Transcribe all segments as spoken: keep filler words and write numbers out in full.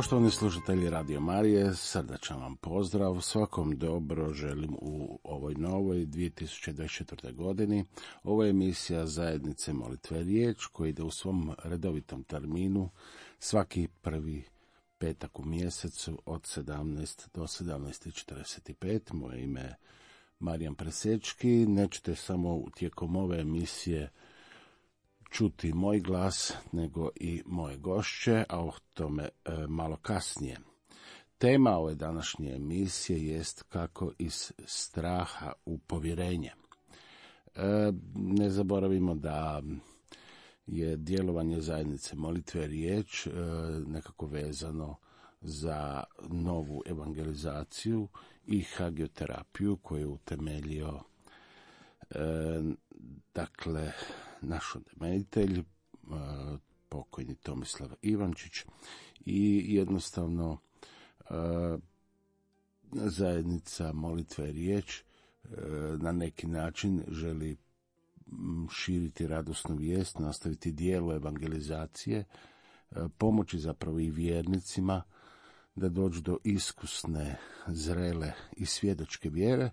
Poštovani slušatelji Radio Marije, srdačan vam pozdrav, svakom dobro želim u ovoj novoj dvije tisuće dvadeset četvrtoj. godini. Ovo je emisija Zajednice Molitve Riječ koja ide u svom redovitom terminu svaki prvi petak u mjesecu od sedamnaest do sedamnaest četrdeset pet. Moje ime je Marijan Presečki. Nećete samo tijekom ove emisije čuti moj glas, nego i moje gošće, a o tome e, malo kasnije. Tema ove današnje emisije jest kako iz straha u povjerenje. E, ne zaboravimo da je djelovanje Zajednice Molitve Riječ e, nekako vezano za novu evangelizaciju i hagioterapiju koju je utemeljio e, dakle naš utemeljitelj, pokojni Tomislav Ivančić, i jednostavno Zajednica Molitve Riječ na neki način želi širiti radosnu vijest, nastaviti dijelo evangelizacije, pomoći zapravo i vjernicima da dođu do iskusne, zrele i svjedočke vjere,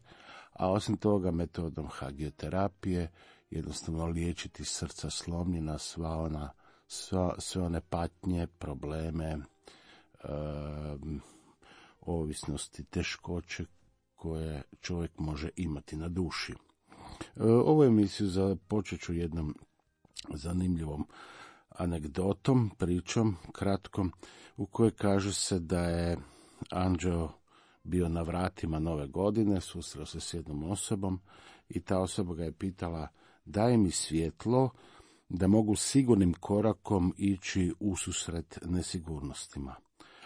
a osim toga metodom hagioterapije jednostavno liječiti srca slomljena, sva ona, sva, sve one patnje, probleme, e, ovisnosti, teškoće koje čovjek može imati na duši. E, ovu emisiju započet ću jednom zanimljivom anegdotom, pričom, kratkom, u kojoj kaže se da je anđeo bio na vratima nove godine, susreo se s jednom osobom i ta osoba ga je pitala: daj mi svjetlo da mogu sigurnim korakom ići ususret nesigurnostima.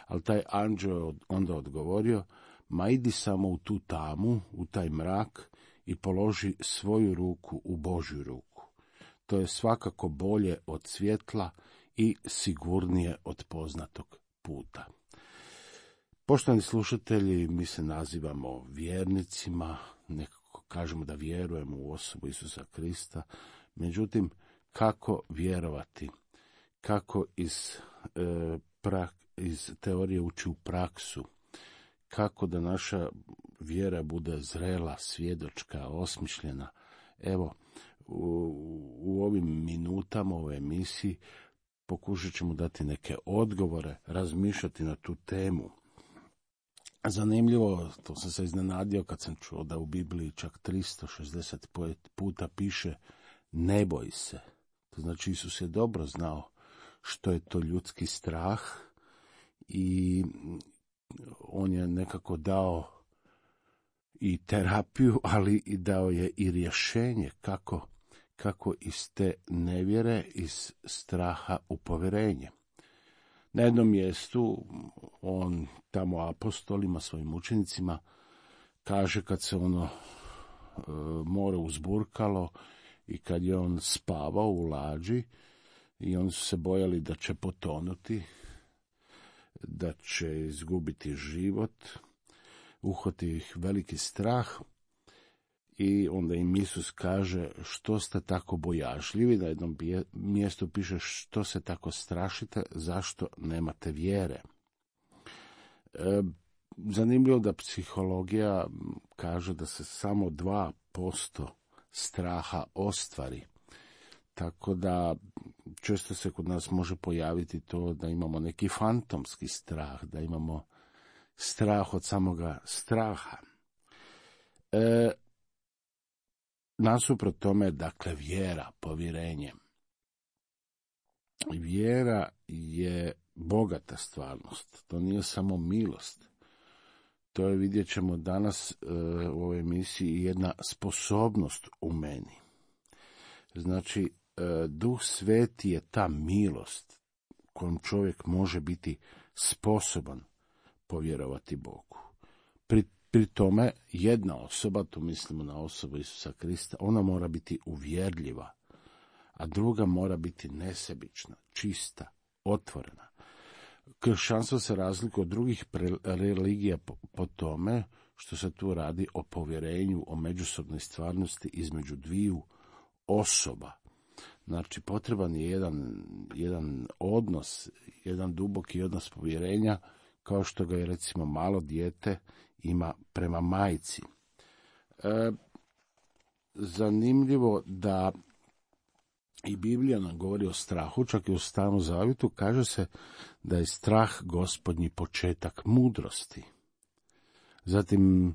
Ali taj anđeo je onda odgovorio: ma idi samo u tu tamu, u taj mrak i položi svoju ruku u Božju ruku. To je svakako bolje od svjetla i sigurnije od poznatog puta. Poštovani slušatelji, mi se nazivamo vjernicima, nekako kažemo da vjerujemo u osobu Isusa Krista, međutim, kako vjerovati, kako iz, e, pra, iz teorije ući u praksu, kako da naša vjera bude zrela, svjedočka, osmišljena. Evo, u, u ovim minutama, u ovoj emisiji, pokušat ćemo dati neke odgovore, razmišljati na tu temu. Zanimljivo, to sam se iznenadio kad sam čuo da u Bibliji čak tristo šezdeset puta piše ne boj se. To znači Isus je dobro znao što je to ljudski strah i on je nekako dao i terapiju, ali i dao je i rješenje kako, kako iz te nevjere, iz straha u povjerenje. Na jednom mjestu on tamo apostolima, svojim učenicima, kaže kad se ono e, more uzburkalo i kad je on spavao u lađi i oni su se bojali da će potonuti, da će izgubiti život, uhvati ih veliki strah i onda im Isus kaže: što ste tako bojažljivi? Na jednom mjestu piše: što se tako strašite, zašto nemate vjere? E, zanimljivo da psihologija kaže da se samo dva posto straha ostvari. Tako da često se kod nas može pojaviti to da imamo neki fantomski strah, da imamo strah od samoga straha. E, Nasuprot tome, dakle, vjera, povjerenje. Vjera je bogata stvarnost, to nije samo milost. To je, vidjet ćemo danas e, u ovoj emisiji, jedna sposobnost u meni. Znači, e, Duh Sveti je ta milost kojom čovjek može biti sposoban povjerovati Bogu. Pri Pri tome, jedna osoba, tu mislimo na osobu Isusa Krista, ona mora biti uvjerljiva, a druga mora biti nesebična, čista, otvorena. Kršćanstvo se razlikuje od drugih religija po, po tome što se tu radi o povjerenju, o međusobnoj stvarnosti između dviju osoba. Znači, potreban je jedan, jedan odnos, jedan duboki odnos povjerenja, kao što ga je, recimo, malo dijete ima prema majci. E, zanimljivo da i Biblija nam govori o strahu, čak i u Starom zavjetu kaže se da je strah Gospodnji početak mudrosti. Zatim,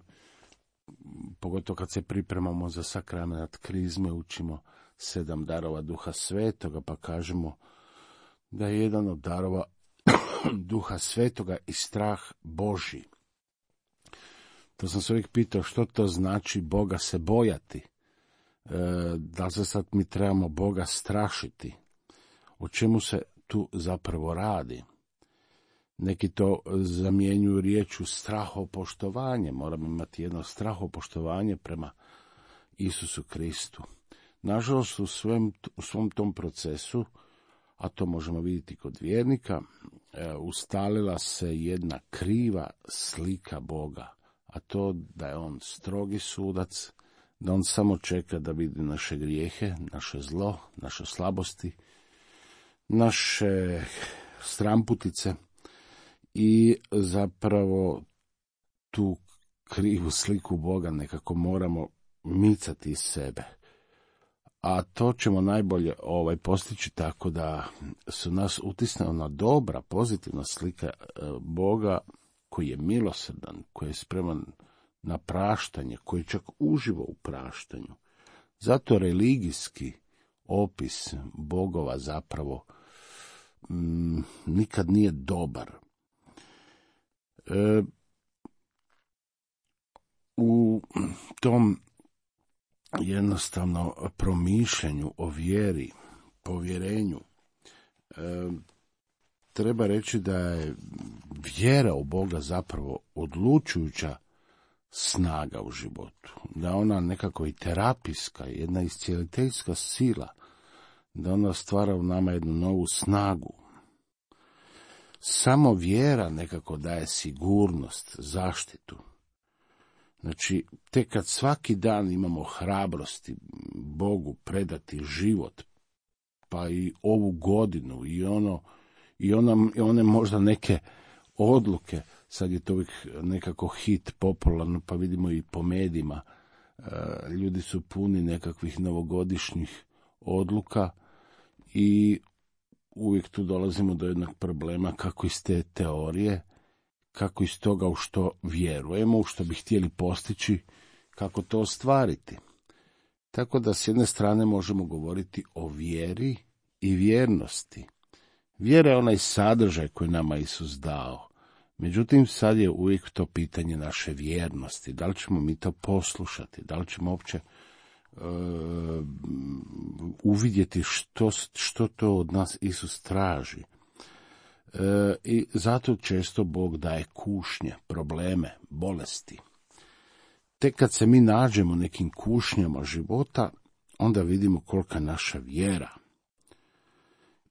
pogotovo kad se pripremamo za sakrament krizme, učimo sedam darova Duha Svetoga, pa kažemo da je jedan od darova Duha Svetoga i strah Božji. To sam se uvijek pitao što to znači Boga se bojati. E, da li se sad mi trebamo Boga strašiti? O čemu se tu zapravo radi? Neki to zamjenjuju riječu strahopoštovanje. Moramo imati jedno strahopoštovanje prema Isusu Kristu. Nažalost, u, svem, u svom tom procesu, a to možemo vidjeti kod vjernika, e, ustalila se jedna kriva slika Boga, a to da je on strogi sudac, da on samo čeka da vidi naše grijehe, naše zlo, naše slabosti, naše stramputice i zapravo tu krivu sliku Boga nekako moramo micati iz sebe. A to ćemo najbolje ovaj postići tako da su nas utisne ona dobra, pozitivna slika Boga koji je milosrdan, koji je spreman na praštanje, koji čak uživa u praštanju. Zato religijski opis bogova zapravo m, nikad nije dobar. E, u tom jednostavno promišljanju o vjeri, povjerenju, e, treba reći da je vjera u Boga zapravo odlučujuća snaga u životu, da ona nekako i terapijska, jedna iscijeliteljska sila, da ona stvara u nama jednu novu snagu. Samo vjera nekako daje sigurnost, zaštitu. Znači, tek kad svaki dan imamo hrabrosti Bogu predati život, pa i ovu godinu i ono i ona, i one možda neke odluke, sad je to uvijek nekako hit popularno, pa vidimo i po medijima, ljudi su puni nekakvih novogodišnjih odluka i uvijek tu dolazimo do jednog problema kako iz te teorije, kako iz toga u što vjerujemo, u što bi htjeli postići, kako to ostvariti. Tako da s jedne strane možemo govoriti o vjeri i vjernosti. Vjera je onaj sadržaj koji nama Isus dao. Međutim, sad je uvijek to pitanje naše vjernosti. Da li ćemo mi to poslušati? Da li ćemo uopće uh, uvidjeti što, što to od nas Isus traži? Uh, I zato često Bog daje kušnje, probleme, bolesti. Tek kad se mi nađemo nekim kušnjama života, onda vidimo kolika je naša vjera.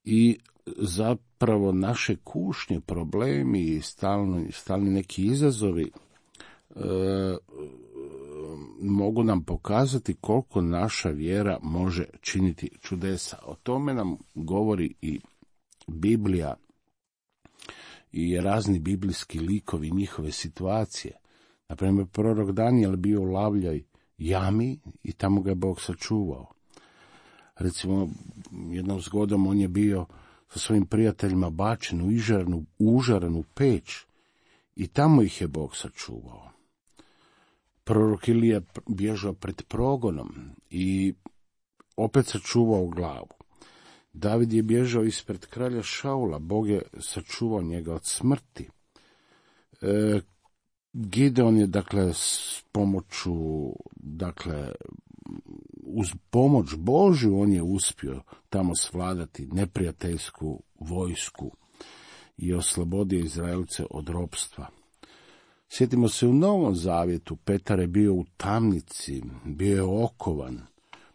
I zapravo naše kušnje, problemi i stalni, stalni neki izazovi e, mogu nam pokazati koliko naša vjera može činiti čudesa. O tome nam govori i Biblija i razni biblijski likovi, njihove situacije. Naprimjer, prorok Danijel bio u lavljoj jami i tamo ga je Bog sačuvao. Recimo, jednom zgodom on je bio sa svojim prijateljima bačen u ižarnu, užaranu peć i tamo ih je Bog sačuvao. Prorok Ilija bježao pred progonom i opet sačuvao glavu. David je bježao ispred kralja Šaula, Bog je sačuvao njega od smrti. E, Gideon je, dakle, s pomoću, dakle, uz pomoć Božju on je uspio tamo svladati neprijateljsku vojsku i oslobodio Izraelce od ropstva. Sjetimo se u Novom Zavjetu, Petar je bio u tamnici, bio je okovan,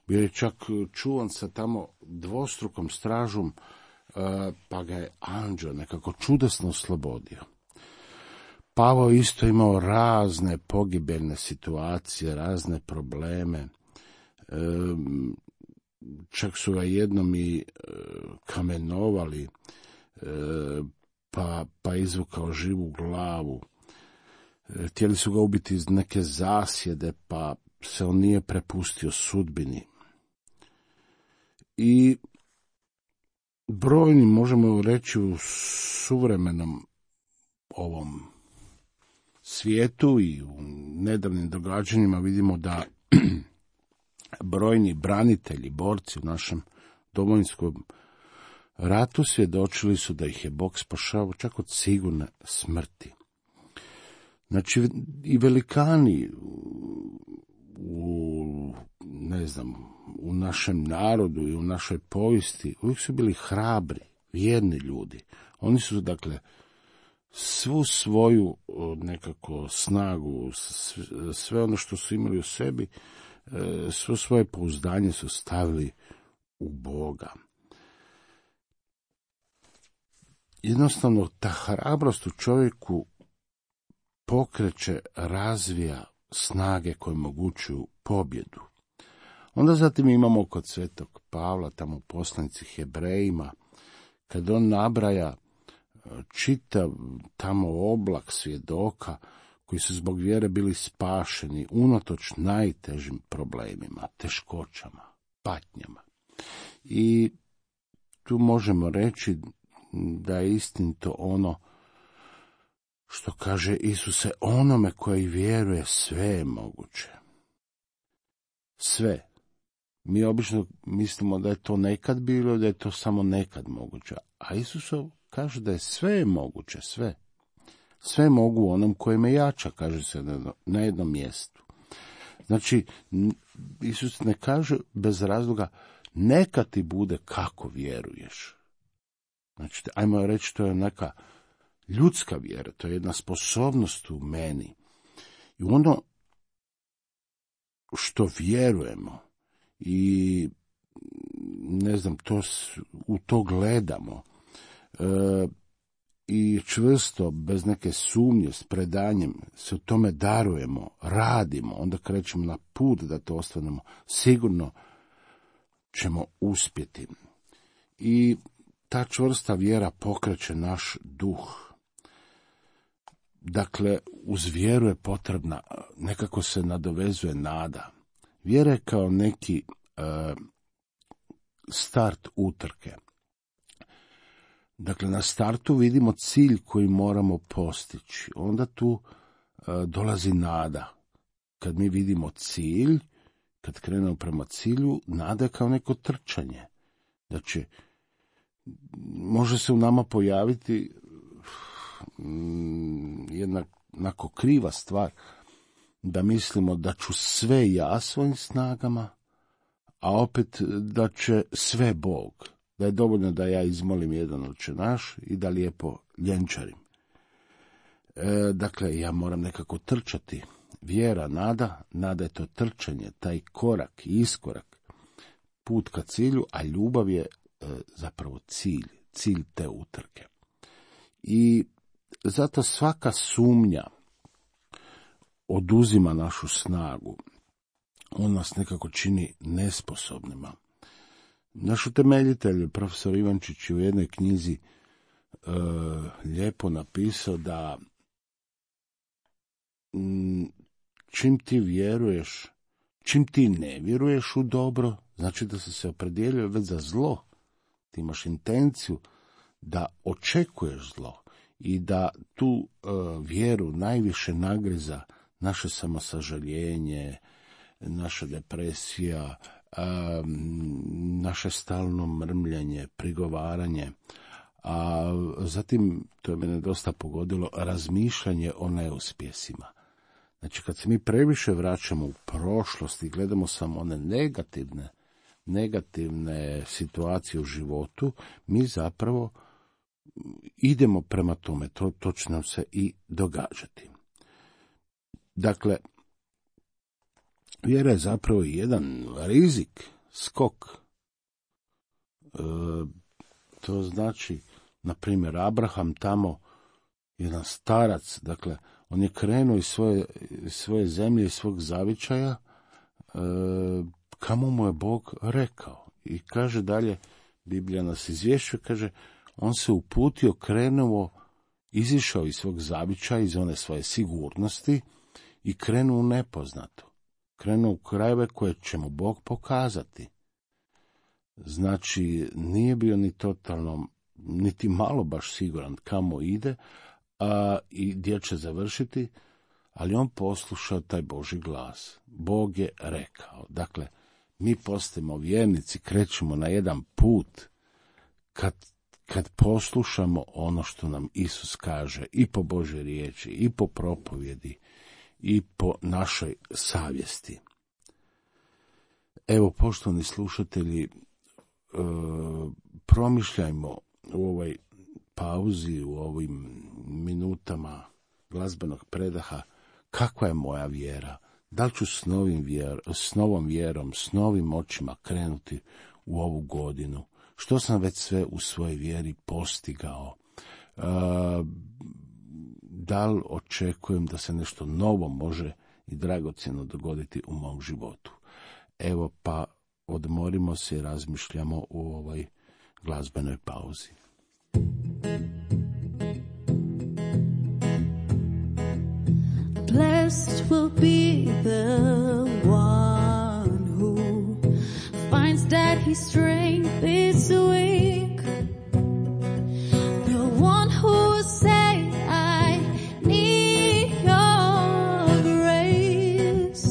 bio je čak čuvan sa tamo dvostrukom stražom, pa ga je anđeo nekako čudesno oslobodio. Pavao isto imao razne pogibeljne situacije, razne probleme. čak su ga jednom i e, kamenovali, e, pa, pa izvukao živu glavu. E, htjeli su ga ubiti iz neke zasjede, pa se on nije prepustio sudbini. I brojni, možemo reći, u suvremenom ovom svijetu i u nedavnim događanjima vidimo da brojni branitelji, borci u našem Domovinskom ratu svjedočili su da ih je Bog spašavao čak od sigurne smrti. Znači, i velikani u, ne znam, u našem narodu i u našoj povijesti uvijek su bili hrabri, vjerni ljudi. Oni su, dakle, svu svoju nekako snagu, sve ono što su imali u sebi, svo svoje pouzdanje su stavili u Boga. Jednostavno, ta hrabrost u čovjeku pokreće, razvija snage koje omogućuju pobjedu. Onda zatim imamo kod svetog Pavla, tamo u poslanici Hebrejima, kad on nabraja čitav tamo oblak svjedoka koji su zbog vjere bili spašeni unatoč najtežim problemima, teškoćama, patnjama. I tu možemo reći da je istinito ono što kaže Isuse, onome koji vjeruje sve je moguće. Sve. Mi obično mislimo da je to nekad bilo, da je to samo nekad moguće. A Isus kaže da je sve moguće, sve. Sve mogu onom koji me jača, kaže se na jednom mjestu. Znači, Isus ne kaže bez razloga, neka ti bude kako vjeruješ. Znači, ajmo reći, to je neka ljudska vjera, to je jedna sposobnost u meni. I ono što vjerujemo i ne znam, to, u to gledamo e, i čvrsto, bez neke sumnje, s predanjem se u tome darujemo, radimo, onda krećemo na put da to ostvarimo, sigurno ćemo uspjeti. I ta čvrsta vjera pokreće naš duh. Dakle, uz vjeru je potrebna, nekako se nadovezuje nada. Vjera je kao neki e, start utrke. Dakle, na startu vidimo cilj koji moramo postići. Onda tu e, dolazi nada. Kad mi vidimo cilj, kad krenemo prema cilju, nada je kao neko trčanje. Znači, može se u nama pojaviti jedna onako kriva stvar, da mislimo da ću sve ja svojim snagama, a opet da će sve Bog, da je dovoljno da ja izmolim jedan Oče naš i da lijepo ljenčarim. E, dakle, ja moram nekako trčati. Vjera, nada, nada je to trčanje, taj korak, iskorak, put ka cilju, a ljubav je e, zapravo cilj, cilj te utrke. I zato svaka sumnja oduzima našu snagu. On nas nekako čini nesposobnima. Naš utemeljitelj, profesor Ivančić, je u jednoj knjizi e, lijepo napisao da m, čim ti vjeruješ, čim ti ne vjeruješ u dobro, znači da si se opredijelio već za zlo. Ti imaš intenciju da očekuješ zlo i da tu uh, vjeru najviše nagriza naše samosažaljenje, naša depresija, um, naše stalno mrmljanje, prigovaranje, a zatim, to je mene dosta pogodilo, razmišljanje o neuspjesima. Znači, kad se mi previše vraćamo u prošlost i gledamo samo one negativne, negativne situacije u životu, mi zapravo idemo prema tome, to, to će nam se i događati. Dakle, vjera je zapravo jedan rizik, skok. E, to znači, na primjer, Abraham tamo, jedan starac, dakle, on je krenuo iz svoje, svoje zemlje, iz svog zavičaja, e, kamo mu je Bog rekao. I kaže dalje, Biblija nas izvješćuje, kaže, on se uputio, krenuo, izišao iz svog zavičaja, iz one svoje sigurnosti i krenuo u nepoznato. Krenuo u krajeve koje će mu Bog pokazati. Znači, nije bio ni totalno, niti malo baš siguran kamo ide a, i gdje će završiti, ali on poslušao taj Božji glas. Bog je rekao. Dakle, mi postajemo vjernici, krećemo na jedan put kad, kad poslušamo ono što nam Isus kaže i po Božoj riječi, i po propovjedi, i po našoj savjesti. Evo, poštovani slušatelji, e, promišljajmo u ovoj pauzi, u ovim minutama glazbenog predaha, kakva je moja vjera. Da li ću s, novim vjer, s novom vjerom, s novim očima krenuti u ovu godinu? Što sam već sve u svojoj vjeri postigao? E, da li očekujem da se nešto novo može i dragocjeno dogoditi u mom životu? Evo, pa odmorimo se i razmišljamo u ovoj glazbenoj pauzi. Blessed will be the one who finds that his strength is weak. The one who will say, I need your grace.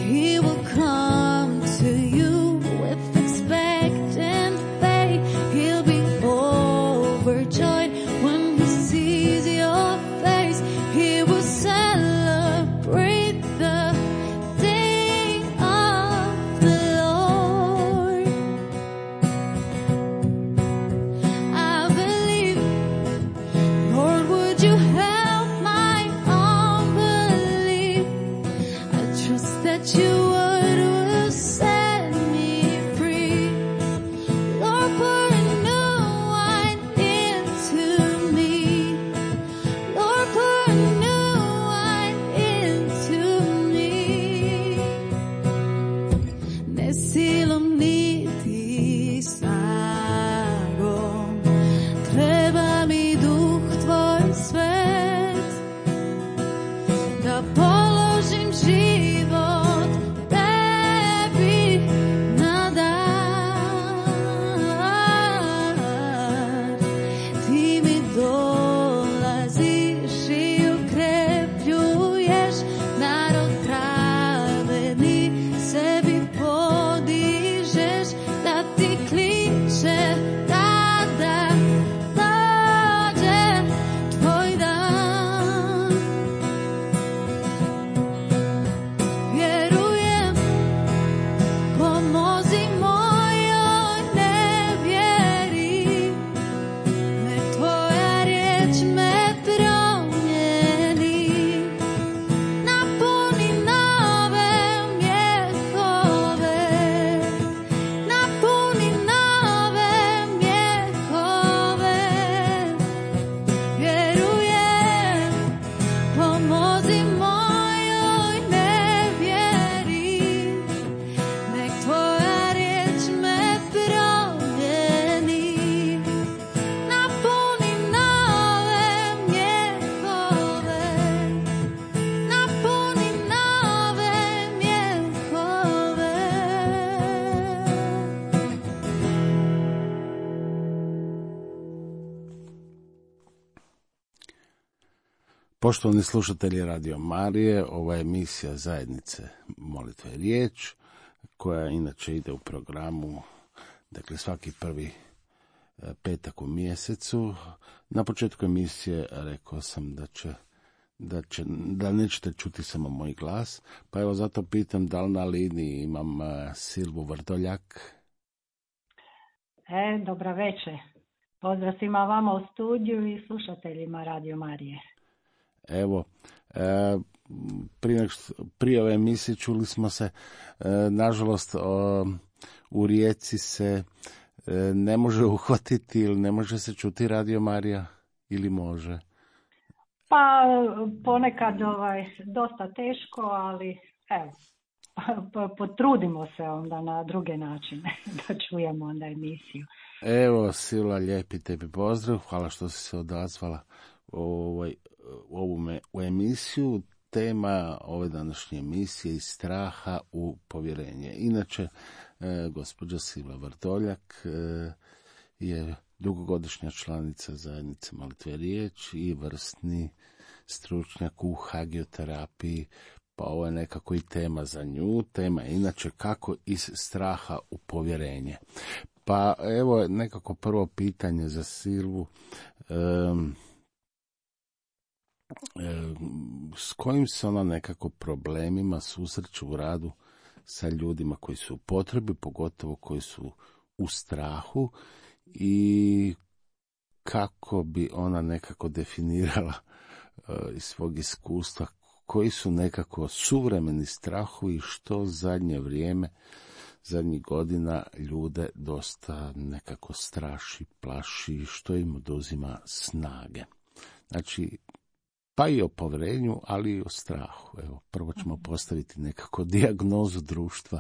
He will come to you with expectant faith. He'll be overjoyed when he sees your face. He will celebrate the day of the Lord. I believe, Lord, would you help my unbelief? I trust that you would will set me free. Lord, pour a new wine into me. Lord, pour a new wine into me. Ne silom niti snagom, treba mi duh tvoj svet, da položim život tebi na dar. Ti mi dolaziš i ukrepljuješ, narod pravedni sebi podižeš, da ti kliče tada dođe tvoj dan. Vjerujem, pomozi mojoj nevjeri, nek tvoja riječ me promijeni. Napuni nove mjehove, napuni nove mjehove. Vjerujem, pomozi mojoj nevjeri, nek tvoja riječ me promijeni. Napuni nove mjehove, napuni nove mjehove. Poštovani slušatelji Radio Marije, ova je emisija zajednice Molitve i riječ, koja inače ide u programu, dakle svaki prvi e, petak u mjesecu. Na početku emisije rekao sam da će, da će, da nećete čuti samo moj glas, pa evo zato pitam da li na liniji imam e, Silvu Vrdoljak. E, dobra večer. Pozdrav svima vama u studiju i slušateljima Radio Marije. Evo, e, prije, nego što- prije ove emisije čuli smo se, e, nažalost, o, u Rijeci se e, ne može uhvatiti ili ne može se čuti Radio Marija ili može? Pa ponekad ovaj, dosta teško, ali evo, pa, pa, potrudimo se onda na druge načine da čujemo onda emisiju. Evo, Silva, lijepi tebi pozdrav, hvala što si se odazvala u, ovaj, u ovu me, u emisiju. Tema ove današnje emisije iz straha u povjerenje. Inače, e, gospođa Silva Vrdoljak e, je dugogodišnja članica zajednice Molitve riječ i vrstni stručnjak u hagioterapiji, pa ovo je nekako i tema za nju. Tema je inače kako iz straha u povjerenje. Pa evo nekako prvo pitanje za Silvu. Um, s kojim se ona nekako problemima susreće u radu sa ljudima koji su u potrebi, pogotovo koji su u strahu, i kako bi ona nekako definirala uh, iz svog iskustva koji su nekako suvremeni strahovi, što zadnje vrijeme, zadnjih godina ljude dosta nekako straši, plaši, što im oduzima snage. Znači, pa i o povjerenju, ali i o strahu. Evo, prvo ćemo postaviti nekako dijagnozu društva.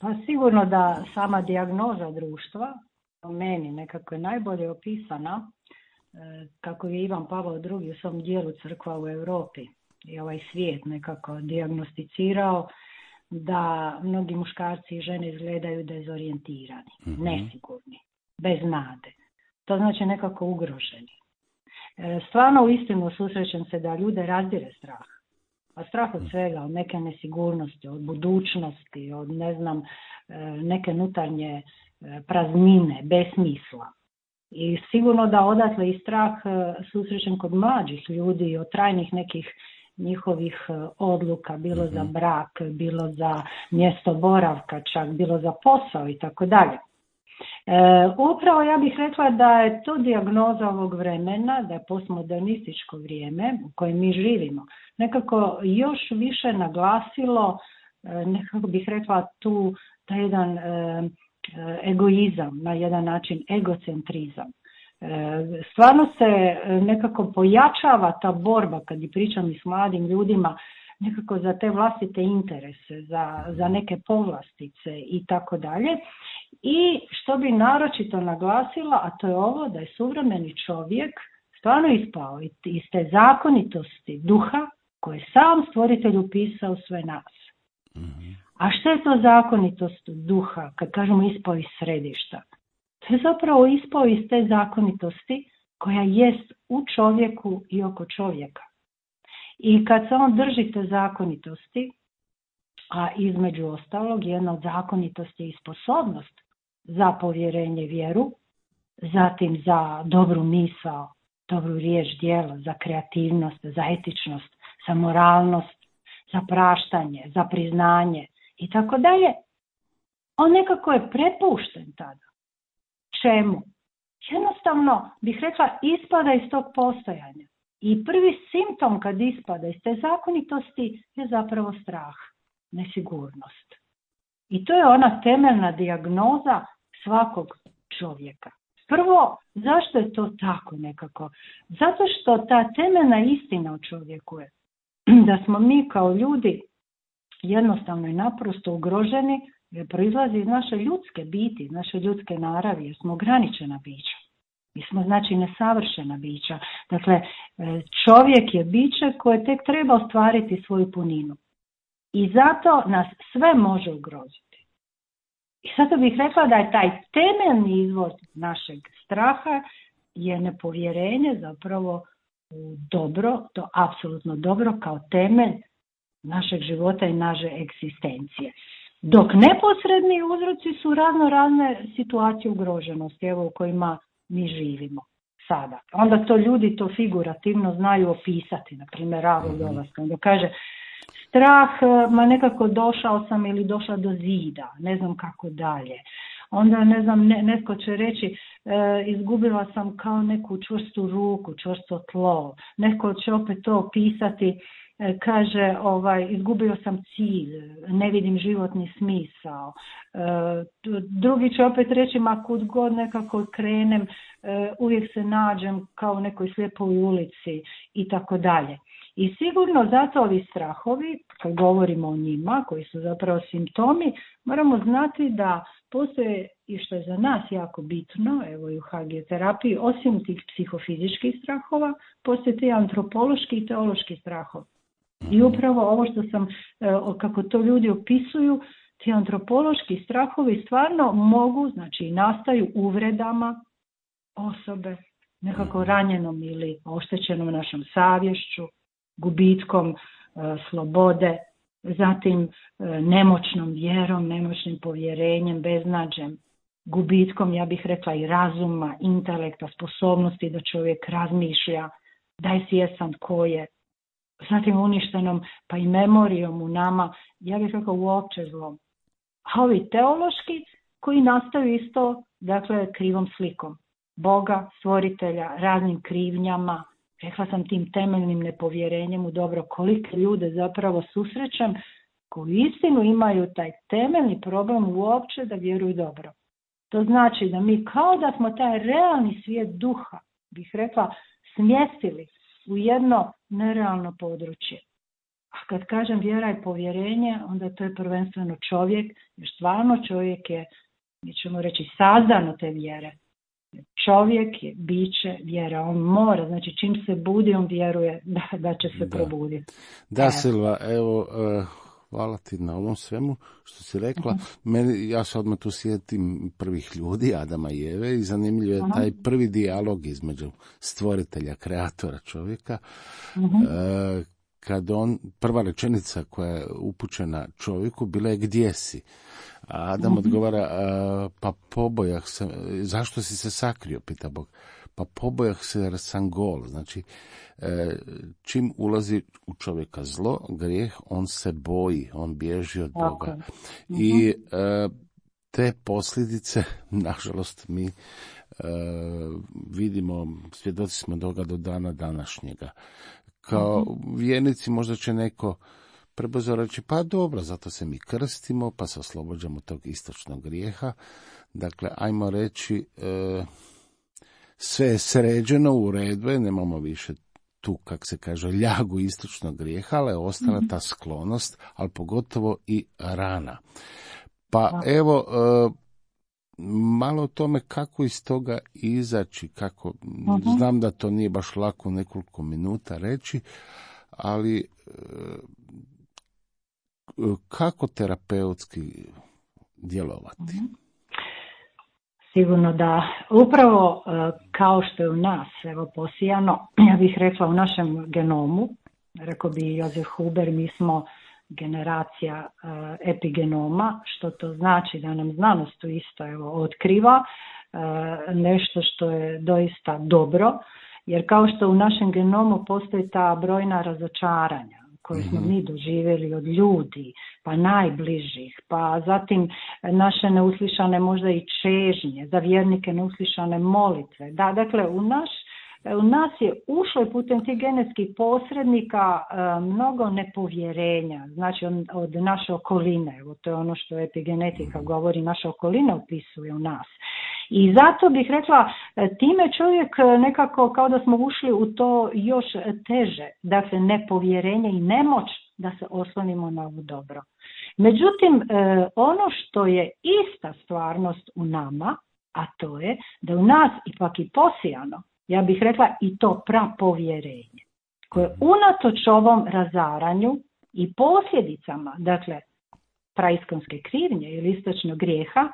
Pa sigurno da sama dijagnoza društva po meni nekako je najbolje opisana kako je Ivan Pavao drugi u svom dijelu Crkva u Europi i ovaj svijet nekako dijagnosticirao da mnogi muškarci i žene izgledaju dezorijentirani, mm-hmm. nesigurni, bez nade. To znači nekako ugroženi. Stvarno u istinu susrećem se da ljude razdire strah. A strah od svega, od neke nesigurnosti, od budućnosti, od ne znam, neke unutarnje praznine, besmisla. I sigurno da odatle i strah susrećem kod mlađih ljudi od trajnih nekih njihovih odluka, bilo za brak, bilo za mjesto boravka, čak bilo za posao i tako dalje. Upravo ja bih rekla da je to dijagnoza ovog vremena, da je postmodernističko vrijeme u kojem mi živimo nekako još više naglasilo, nekako bih rekla tu taj jedan egoizam, na jedan način egocentrizam. Stvarno se nekako pojačava ta borba, kad i pričam i s mladim ljudima, nekako za te vlastite interese, za, za neke povlastice i tako dalje. I što bi naročito naglasila, a to je ovo da je suvremeni čovjek stvarno ispao iz te zakonitosti duha koje je sam stvoritelj upisao sve nas. Mm-hmm. A što je to zakonitost duha, kad kažemo ispao iz središta? To je zapravo ispao iz te zakonitosti koja jest u čovjeku i oko čovjeka. I kad se on drži te zakonitosti, a između ostalog jedna od zakonitosti je i sposobnost za povjerenje, vjeru, zatim za dobru misao, dobru riječ, djelo, za kreativnost, za etičnost, za moralnost, za praštanje, za priznanje i tako dalje, on nekako je prepušten tada. Čemu? Jednostavno bih rekla ispada iz tog postojanja. I prvi simptom kad ispada iz te zakonitosti je zapravo strah, nesigurnost. I to je ona temeljna dijagnoza svakog čovjeka. Prvo, zašto je to tako nekako? Zato što ta temeljna istina u čovjeku je da smo mi kao ljudi jednostavno i naprosto ugroženi, jer proizlazi iz naše ljudske biti, naše ljudske naravi, jer smo ograničena bića. Mi smo znači nesavršena bića. Dakle, čovjek je biće koje tek treba ostvariti svoju puninu. I zato nas sve može ugroziti. I zato bih rekla da je taj temeljni izvor našeg straha je nepovjerenje zapravo u dobro, to apsolutno dobro kao temelj našeg života i naše egzistencije. Dok neposredni uzroci su razno razne situacije ugroženosti, evo u kojima mi živimo sada. Onda to ljudi to figurativno znaju opisati, na primjer Ravl dolaska, onda kaže strah, ma nekako došao sam ili došla do zida, ne znam kako dalje. Onda, ne znam, ne, netko će reći e, izgubila sam kao neku čvrstu ruku, čvrsto tlo. Netko će opet to opisati, e, kaže ovaj, izgubio sam cilj, ne vidim životni smisao. E, drugi će opet reći ma kud god nekako krenem, e, uvijek se nađem kao u nekoj slijepoj ulici i tako dalje. I sigurno zato ovi strahovi, kad govorimo o njima, koji su zapravo simptomi, moramo znati da postoje, i što je za nas jako bitno, evo i u hagioterapiji, osim tih psihofizičkih strahova, postoje ti antropološki i teološki strahovi. I upravo ovo što sam, kako to ljudi opisuju, ti antropološki strahovi stvarno mogu, znači nastaju uvredama osobe, nekako ranjenom ili oštećenom našom savješću, gubitkom e, slobode, zatim e, nemoćnom vjerom, nemoćnim povjerenjem, beznađem, gubitkom, ja bih rekla, i razuma, intelekta, sposobnosti da čovjek razmišlja, da je svjestan ko je, zatim uništenom pa i memorijom u nama, ja bih rekla uopće zlom. A ovi teološki koji nastaju isto, dakle, krivom slikom Boga, stvoritelja, raznim krivnjama, rekla sam tim temeljnim nepovjerenjem u dobro, kolike ljude zapravo susrećem koji istinu imaju taj temeljni problem uopće da vjeruju dobro. To znači da mi kao da smo taj realni svijet duha, bih rekla, smjestili u jedno nerealno područje. A kad kažem vjera i povjerenje, onda to je prvenstveno čovjek, jer stvarno čovjek je, mi ćemo reći, sazdan od te vjere. Čovjek je biće vjera, on mora, znači čim se budi, on vjeruje da, da će se da. probuditi. Da, Silva, evo, uh, hvala ti na ovom svemu što si rekla. Uh-huh. Meni, ja se odmah tu sjetim prvih ljudi, Adama i Eve, i zanimljiv je uh-huh. taj prvi dijalog između stvoritelja, kreatora čovjeka, uh-huh. uh, kad on, prva rečenica koja je upućena čovjeku bila je gdje si? A Adam mm-hmm. odgovara, pa pobojah se, zašto si se sakrio, pita Bog. Pa pobojah se jer sam gol. Znači, čim ulazi u čovjeka zlo, grijeh, on se boji, on bježi od Boga. Mm-hmm. I te posljedice, nažalost, mi vidimo, svjedoci smo toga do dana današnjega. Kao mm-hmm. vjernici možda će neko prebrzo reći, pa dobro, zato se mi krstimo, pa se oslobođamo tog istočnog grijeha. Dakle, ajmo reći, e, sve je sređeno, u redu je, nemamo više tu, kak se kaže, ljagu istočnog grijeha, ali je ostala ta sklonost, ali pogotovo i rana. Pa evo, e, malo o tome kako iz toga izaći, kako, uh-huh. znam da to nije baš lako nekoliko minuta reći, ali e, kako terapeutski djelovati? Uh-huh. Sigurno da upravo kao što je u nas, evo posijano, ja bih rekla u našem genomu, rekao bi Josef Huber, mi smo generacija uh, epigenoma, što to znači da nam znanost tu isto evo, otkriva uh, nešto što je doista dobro, jer kao što u našem genomu postoji ta brojna razočaranja koje smo mi doživjeli od ljudi, pa najbližih, pa zatim naše neuslišane možda i čežnje, za vjernike neuslišane molitve. Da, dakle, u naš U nas je ušlo i putem tih genetskih posrednika e, mnogo nepovjerenja, znači od, od naše okoline, evo to je ono što epigenetika govori, naša okolina opisuje u nas. I zato bih rekla, time čovjek nekako kao da smo ušli u to još teže, dakle nepovjerenje i nemoć da se oslonimo na ovo dobro. Međutim, e, ono što je ista stvarnost u nama, a to je da u nas ipak i posijano, ja bih rekla i to prapovjerenje, koje unatoč ovom razaranju i posljedicama, dakle, praiskonske krivnje ili istočnog grijeha,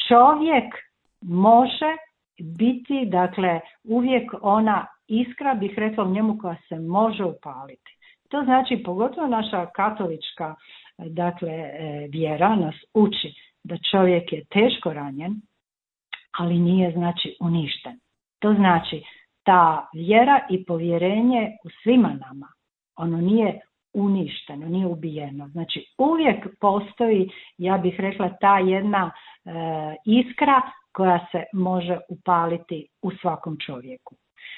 čovjek može biti, dakle, uvijek ona iskra, bih rekla u njemu, koja se može upaliti. To znači, pogotovo naša katolička, dakle, vjera nas uči da čovjek je teško ranjen, ali nije, znači, uništen. To znači, ta vjera i povjerenje u svima nama, ono nije uništeno, nije ubijeno. Znači, uvijek postoji, ja bih rekla, ta jedna e, iskra koja se može upaliti u svakom čovjeku.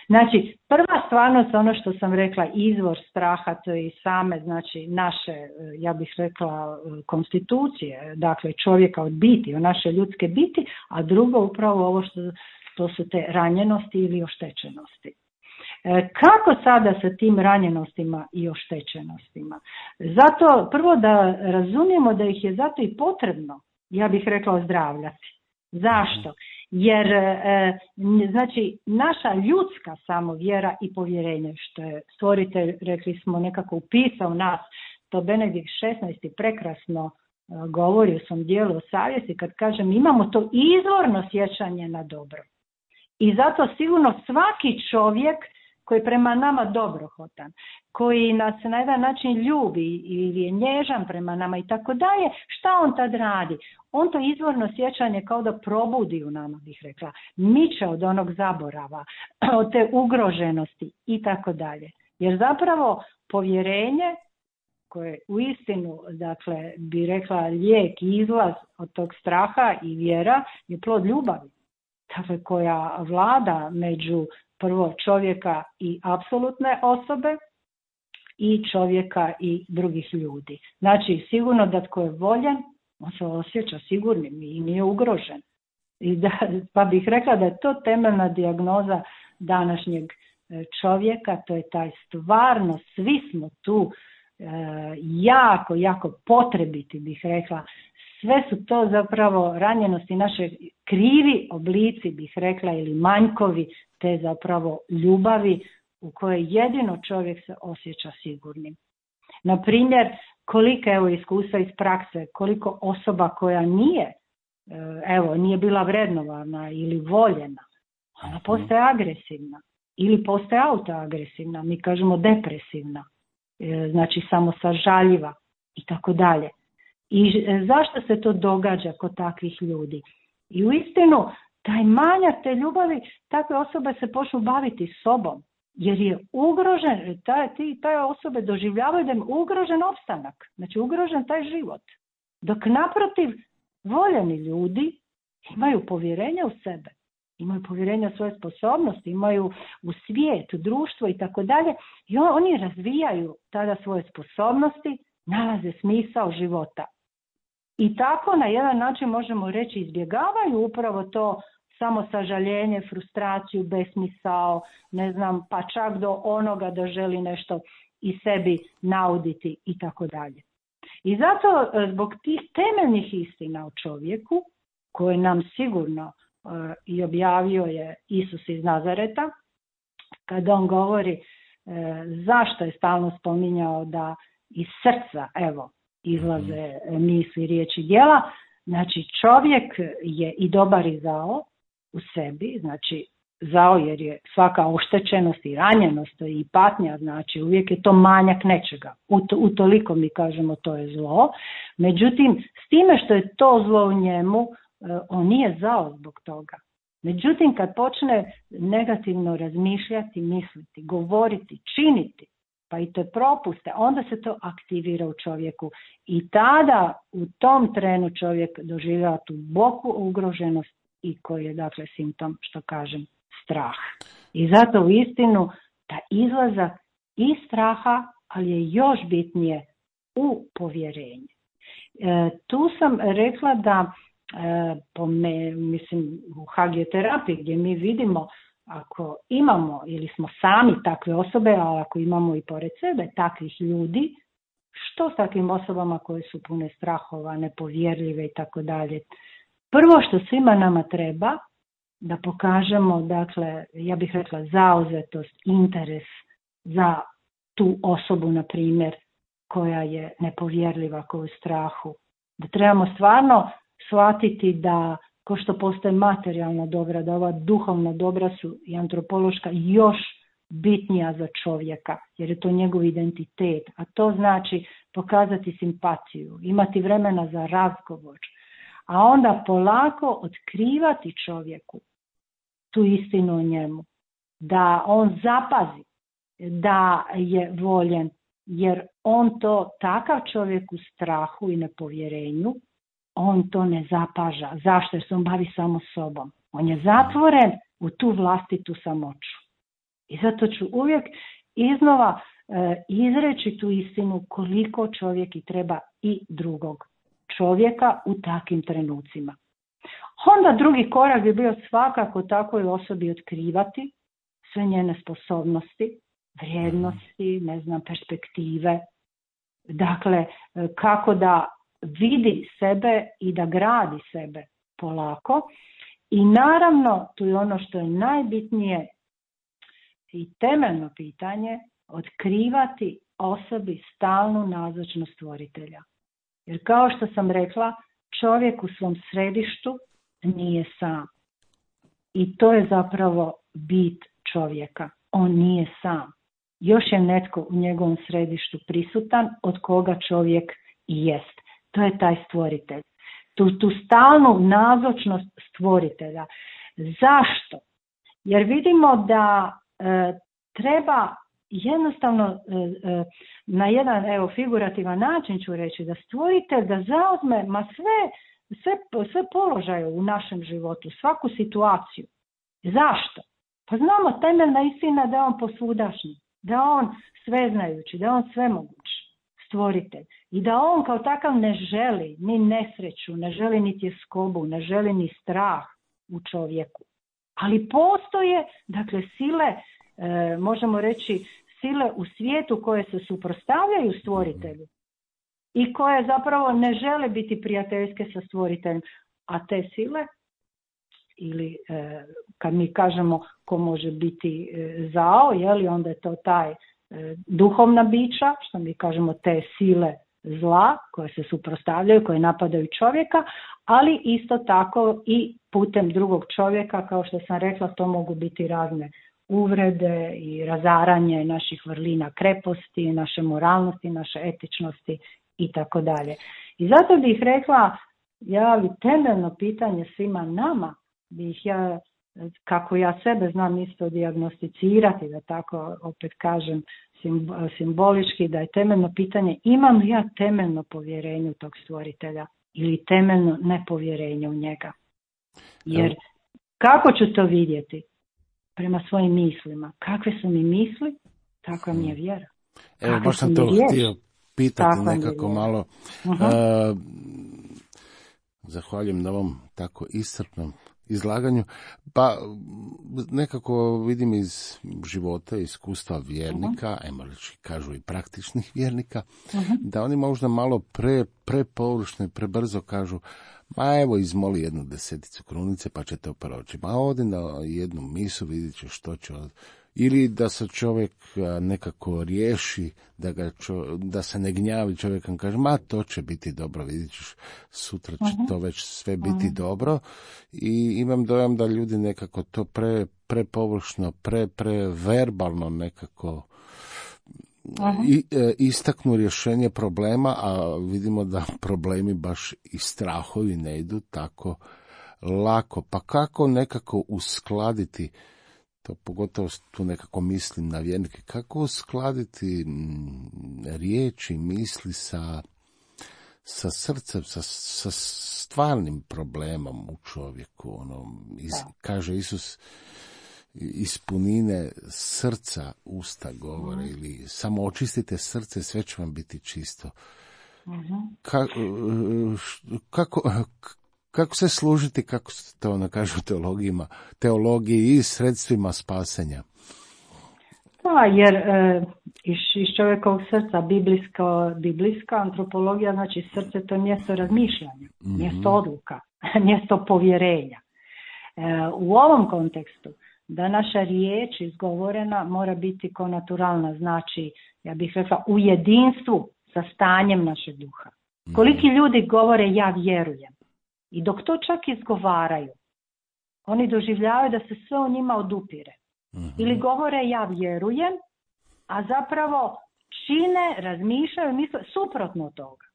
Znači, prva stvarnost, ono što sam rekla, izvor straha, to je i same, znači, naše, ja bih rekla, konstitucije, dakle, čovjeka od biti, o naše ljudske biti, a drugo upravo ovo što to su te ranjenosti ili oštećenosti. Kako sada sa tim ranjenostima i oštećenostima? Zato prvo da razumijemo da ih je zato i potrebno, ja bih rekla, ozdravljati. Zašto? Jer znači naša ljudska samovjera i povjerenje, što je stvoritelj, rekli smo, nekako upisao nas, to Benedikt šesnaesti prekrasno govori u svom dijelu o savjesti, kad kažem imamo to izvorno sjećanje na dobro. I zato sigurno svaki čovjek koji je prema nama dobrohotan, koji nas na jedan način ljubi ili je nježan prema nama i tako dalje, šta on tad radi? On to izvorno sjećanje kao da probudi u nama, bih rekla, miče od onog zaborava, od te ugroženosti i tako dalje. Jer zapravo povjerenje, koje u istinu, dakle, bi rekla, lijek i izlaz od tog straha i vjera, je plod ljubavi, dakle, koja vlada među prvo čovjeka i apsolutne osobe i čovjeka i drugih ljudi. Znači, sigurno da tko je voljen, on se osjeća sigurnim i nije ugrožen. I da, pa bih rekla da je to temeljna dijagnoza današnjeg čovjeka, to je taj stvarno, svi smo tu e, jako, jako potrebiti, bih rekla. Sve su to zapravo ranjenosti, naše krivi oblici, bih rekla, ili manjkovi te zapravo ljubavi u kojoj jedino čovjek se osjeća sigurnim. Na primjer, koliko evo iskustva iz prakse, koliko osoba koja nije, evo, nije bila vrednovana ili voljena, ona postaje agresivna ili postaje autoagresivna, mi kažemo depresivna, znači samosažaljiva i tako dalje. I zašto se to događa kod takvih ljudi? I uistinu, taj manjak te ljubavi, takve osobe se počnu baviti sobom, jer je ugrožen, taj, ti, taj osobe doživljavaju da je ugrožen opstanak, znači ugrožen taj život. Dok naprotiv, voljeni ljudi imaju povjerenje u sebe, imaju povjerenje u svoje sposobnosti, imaju u svijet, u društvo i tako dalje, i oni razvijaju tada svoje sposobnosti, nalaze smisao života. I tako na jedan način možemo reći izbjegavaju upravo to samo sažaljenje, frustraciju, besmisao, ne znam, pa čak do onoga da želi nešto i sebi nauditi i tako dalje. I zato zbog tih temeljnih istina o čovjeku, koje nam sigurno uh, i objavio je Isus iz Nazareta, kada on govori uh, zašto je stalno spominjao da iz srca, evo, izlaze misli, riječi, djela. Znači čovjek je i dobar i zao u sebi, znači zao jer je svaka oštećenost i ranjenost i patnja, znači uvijek je to manjak nečega. Utoliko mi kažemo to je zlo. Međutim, s time što je to zlo u njemu, on nije zao zbog toga. Međutim, kad počne negativno razmišljati, misliti, govoriti, činiti, pa i te propuste, onda se to aktivira u čovjeku i tada u tom trenu čovjek doživljava tu duboku ugroženost i koji je, dakle, simptom, što kažem, strah. I zato u istinu ta izlazak iz straha, ali je još bitnije u povjerenje. E, tu sam rekla da e, po me, mislim, u hagioterapiji gdje mi vidimo ako imamo ili smo sami takve osobe, a ako imamo i pored sebe takvih ljudi, što s takvim osobama koje su pune strahova, nepovjerljive i tako dalje? Prvo što svima nama treba da pokažemo, dakle, ja bih rekla zauzetost, interes za tu osobu, na primjer, koja je nepovjerljiva, koja je u strahu. Da trebamo stvarno shvatiti da ko što postoje materijalna dobra, da ova duhovna dobra su i antropološka još bitnija za čovjeka, jer je to njegov identitet, a to znači pokazati simpatiju, imati vremena za razgovor, a onda polako otkrivati čovjeku tu istinu o njemu, da on zapazi da je voljen, jer on to, takav čovjek u strahu i nepovjerenju, on to ne zapaža. Zašto? Jer se on bavi samo sobom. On je zatvoren u tu vlastitu samoću. I zato ću uvijek iznova e, izreći tu istinu koliko čovjek i treba i drugog čovjeka u takvim trenucima. Onda drugi korak bi bio svakako takvoj osobi otkrivati sve njene sposobnosti, vrijednosti, ne znam, perspektive. Dakle, kako da vidi sebe i da gradi sebe polako. I naravno, tu je ono što je najbitnije i temeljno pitanje, otkrivati osobi stalnu nazočnost stvoritelja. Jer kao što sam rekla, čovjek u svom središtu nije sam. I to je zapravo bit čovjeka. On nije sam. Još je netko u njegovom središtu prisutan od koga čovjek i jest. To je taj stvoritelj. Tu, tu stalnu nazočnost stvoritelja. Zašto? Jer vidimo da e, treba jednostavno e, e, na jedan evo, figurativan način ću reći da stvoritelj da zauzme ma sve, sve, sve položaje u našem životu, svaku situaciju. Zašto? Pa znamo temeljna istina da je on posvudašnji, da je on sveznajući, da je on svemoguć stvoritelj i da on kao takav ne želi ni nesreću, ne želi ni tjeskobu, ne želi ni strah u čovjeku. Ali postoje, dakle, sile, e, možemo reći, sile u svijetu koje se suprotstavljaju stvoritelju i koje zapravo ne žele biti prijateljske sa stvoriteljem. A te sile, ili e, kad mi kažemo ko može biti e, zao, jeli, onda je to taj e, duhovna bića, što mi kažemo te sile zla koje se suprotstavljaju, koje napadaju čovjeka, ali isto tako i putem drugog čovjeka, kao što sam rekla, to mogu biti razne uvrede i razaranje naših vrlina kreposti, naše moralnosti, naše etičnosti i tako dalje. I zato bih rekla, ja bi temeljno pitanje svima nama, bih ja, kako ja sebe znam isto dijagnosticirati, da tako opet kažem simbolički, da je temeljno pitanje imam li ja temeljno povjerenje u tog stvoritelja ili temeljno nepovjerenje u njega. Jer kako ću to vidjeti? Prema svojim mislima. Kakve su mi misli, takva mi je vjera. Evo, baš sam to htio pitati nekako malo. Uh-huh. Uh, zahvaljujem na ovom tako iscrpnom izlaganju. Pa nekako vidim iz života, iskustva vjernika, uh-huh. ajmo reći, kažu i praktičnih vjernika, uh-huh. da oni možda malo pre, prepovršno i prebrzo kažu, ma evo izmoli jednu deseticu krunice pa će to proći. Ma odi na jednu misu, vidit će što će. Ili da se čovjek nekako riješi, da, ga čo, da se ne gnjavi čovjekom, kaže, ma to će biti dobro, vidit ćeš, sutra će uh-huh. to već sve biti uh-huh. dobro. I imam dojam da ljudi nekako to pre, prepovršno, pre, preverbalno nekako I, e, istaknu rješenje problema, a vidimo da problemi baš i strahovi ne idu tako lako. Pa kako nekako uskladiti, to pogotovo tu nekako mislim na vjernike, kako uskladiti riječi, misli sa, sa srcem, sa, sa stvarnim problemom u čovjeku. Ono, iz, kaže Isus, iz punine srca usta govore, mm. ili samo očistite srce, sve će vam biti čisto. Mm-hmm. Ka, kako, kako se služiti, kako se to ono kažu teologijima, teologiji i sredstvima spasenja? Da, jer e, iz, iz čovjekovog srca biblijsko, biblijska antropologija, znači srce to je mjesto razmišljanja, mm-hmm. mjesto odluka, mjesto povjerenja. E, u ovom kontekstu da naša riječ izgovorena mora biti konaturalna, znači, ja bih rekla, u jedinstvu sa stanjem našeg duha. Koliki ljudi govore ja vjerujem i dok to čak izgovaraju, oni doživljavaju da se sve u njima odupire. Mm-hmm. Ili govore ja vjerujem, a zapravo čine, razmišljaju, misle suprotno od toga.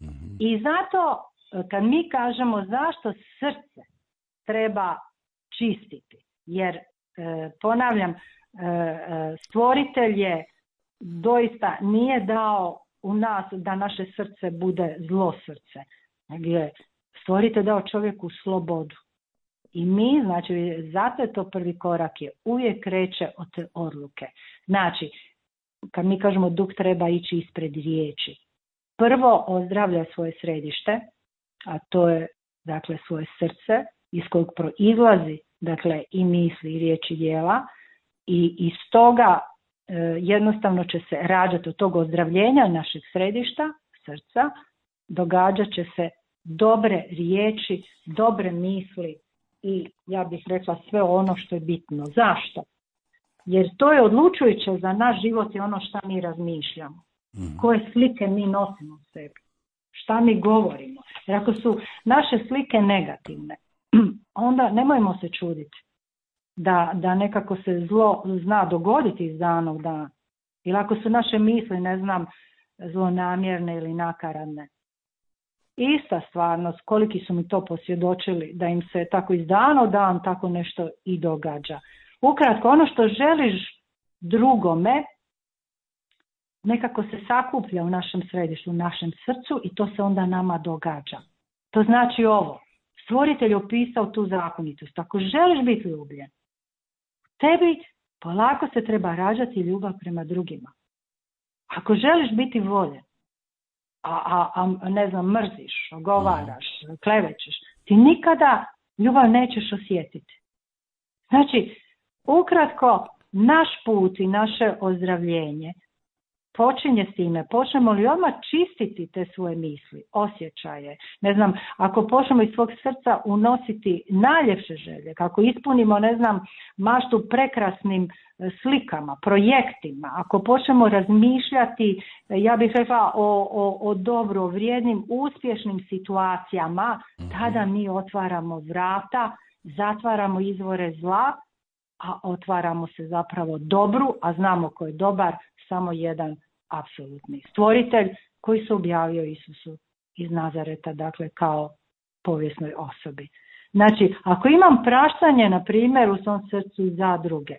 Mm-hmm. I zato kad mi kažemo zašto srce treba čistiti, jer, e, ponavljam, e, stvoritelj je doista nije dao u nas da naše srce bude zlo srce. Nego stvoritelj dao čovjeku slobodu. I mi, znači, zato je to prvi korak, je uvijek kreće od te odluke. Znači, kad mi kažemo duh treba ići ispred riječi. Prvo ozdravlja svoje središte, a to je, dakle, svoje srce, iz kojeg proizlazi, dakle, i misli, i riječi, djela. I iz toga e, jednostavno će se rađati od tog ozdravljenja našeg središta, srca, događat će se dobre riječi, dobre misli i ja bih rekla sve ono što je bitno. Zašto? Jer to je odlučujuće za naš život i ono što mi razmišljamo. Mm. Koje slike mi nosimo u sebi. Šta mi govorimo. Jer ako su naše slike negativne, onda nemojmo se čuditi da, da nekako se zlo zna dogoditi iz dana u dan. Ili ako su naše misli, ne znam, zlonamjerne ili nakaradne. Ista stvarnost, koliki su mi to posvjedočili, da im se tako iz dana u dan tako nešto i događa. Ukratko, ono što želiš drugome, nekako se sakuplja u našem središtu, u našem srcu i to se onda nama događa. To znači ovo, stvoritelj je opisao tu zakonitost. Ako želiš biti ljubljen, tebi polako se treba rađati ljubav prema drugima. Ako želiš biti voljen, a, a, a ne znam, mrziš, ogovaraš, klevećeš, ti nikada ljubav nećeš osjetiti. Znači, ukratko, naš put i naše ozdravljenje počinje s time, počnemo li odmah čistiti te svoje misli, osjećaje, ne znam, ako počnemo iz svog srca unositi najljepše želje, kako ispunimo, ne znam, maštu prekrasnim slikama, projektima, ako počnemo razmišljati, ja bih rekla, o, o, o dobro, vrijednim, uspješnim situacijama, tada mi otvaramo vrata, zatvaramo izvore zla, a otvaramo se zapravo dobru, a znamo ko je dobar, samo jedan apsolutni stvoritelj koji se objavio Isusu iz Nazareta, dakle kao povijesnoj osobi. Znači, ako imam praštanje, na primjer, u svom srcu za druge,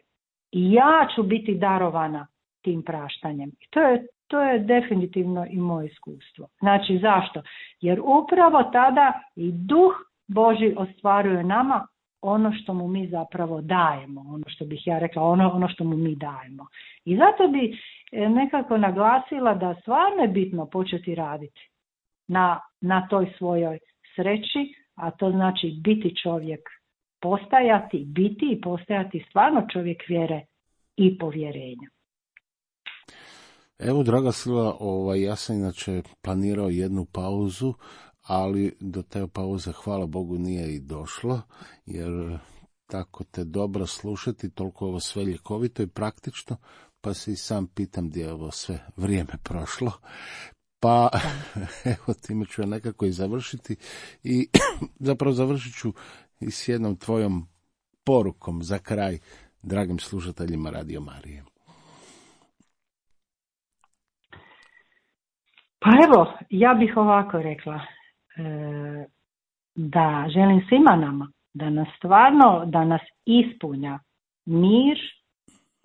i ja ću biti darovana tim praštanjem. I to je, to je definitivno i moje iskustvo. Znači, zašto? Jer upravo tada i Duh Božji ostvaruje nama ono što mu mi zapravo dajemo, ono što bih ja rekla, ono, ono što mu mi dajemo. I zato bi nekako naglasila da stvarno je bitno početi raditi na, na toj svojoj sreći, a to znači biti čovjek, postajati, biti i postajati stvarno čovjek vjere i povjerenja. Evo, draga Silva, ovaj, ja sam inače planirao jednu pauzu, ali do te pauze, hvala Bogu, nije i došlo, jer tako te dobro slušati, toliko ovo sve ljekovito i praktično, pa se i sam pitam gdje je ovo sve vrijeme prošlo. Pa, evo, time ću ja nekako i završiti i zapravo završit ću i s jednom tvojom porukom za kraj, dragim slušateljima Radio Marije. Pa evo, ja bih ovako rekla, da želim svima nama da nas stvarno, da nas ispunja mir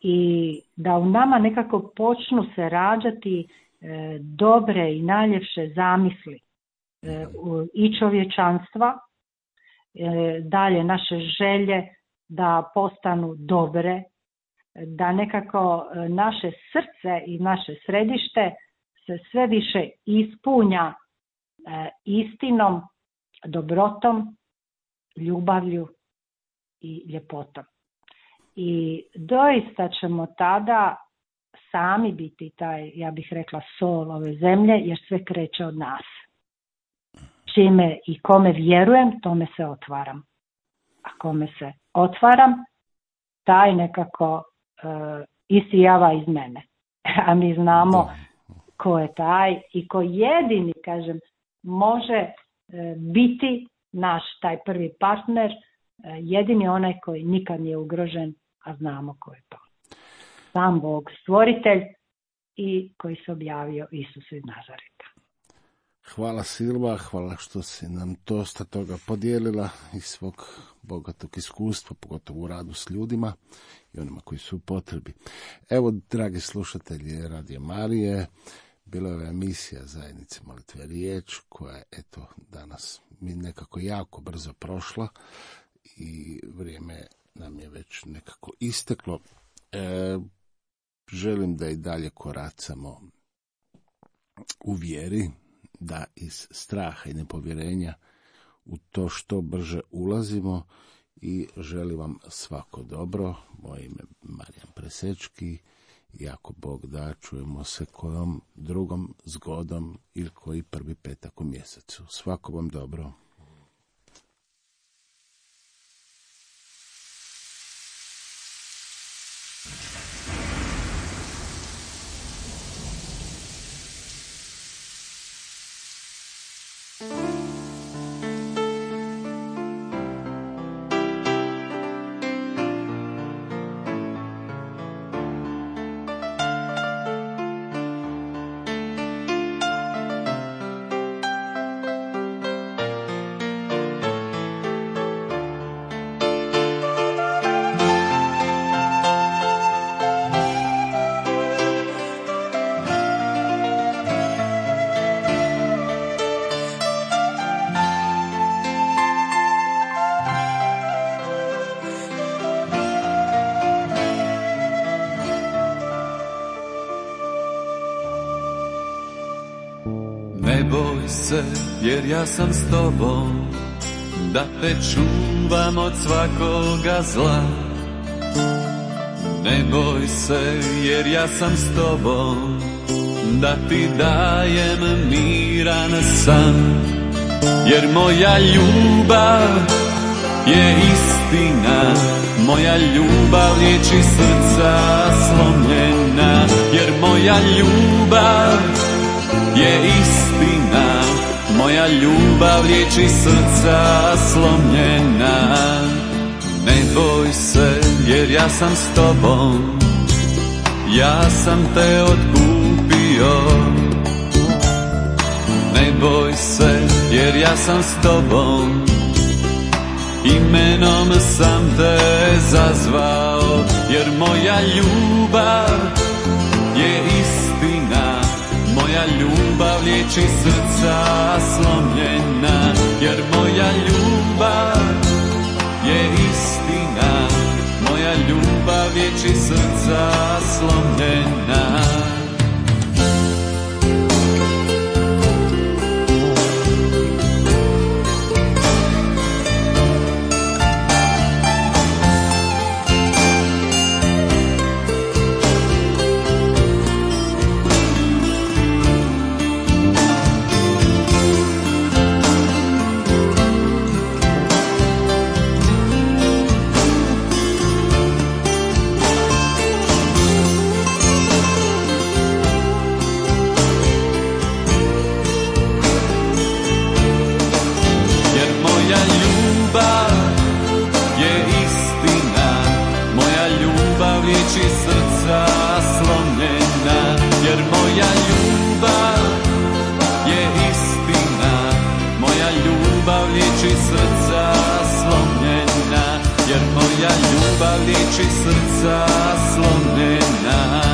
i da u nama nekako počnu se rađati e, dobre i najljepše zamisli e, i čovječanstva, e, dalje naše želje da postanu dobre, da nekako naše srce i naše središte se sve više ispunja e, istinom, dobrotom, ljubavlju i ljepotom. I doista ćemo tada sami biti taj, ja bih rekla, sol ove zemlje, jer sve kreće od nas. Čime i kome vjerujem, tome se otvaram. A kome se otvaram, taj nekako uh, isijava iz mene. A mi znamo ko je taj i ko jedini, kažem, može uh, biti naš taj prvi partner, uh, jedini onaj koji nikad nije ugrožen, a znamo ko je to. Sam Bog, stvoritelj i koji se objavio Isusu iz Nazareta. Hvala Silva, hvala što si nam dosta toga podijelila iz svog bogatog iskustva, pogotovo u radu s ljudima i onima koji su u potrebi. Evo, dragi slušatelji Radio Marije, bila je emisija Zajednice molitve riječ, koja je, eto, danas mi nekako jako brzo prošla i vrijeme nam je već nekako isteklo. E, želim da i dalje koracamo u vjeri, da iz straha i nepovjerenja u to što brže ulazimo i želim vam svako dobro. Moje ime je Marijan Presečki i ako Bog da, čujemo se kojom drugom zgodom ili koji prvi petak u mjesecu. Svako vam dobro. Ne boj se, jer ja sam s tobom, da te čuvam od svakoga zla. Ne boj se, jer ja sam s tobom, da ti dajem miran san. Jer moja ljubav je istina, moja ljubav liječi srca slomljena. Jer moja ljubav je istina, moja ljubav liječi srca slomljena. Ne boj se, jer ja sam s tobom, ja sam te otkupio. Ne boj se, jer ja sam s tobom, imenom sam te zazvao. Jer moja ljubav je istina, moja ljubav liječi srca slomljena. Jer moja ljubav je istina, moja ljubav liječi srca slomljena. Jer moja ljubav liječi srca slomljena.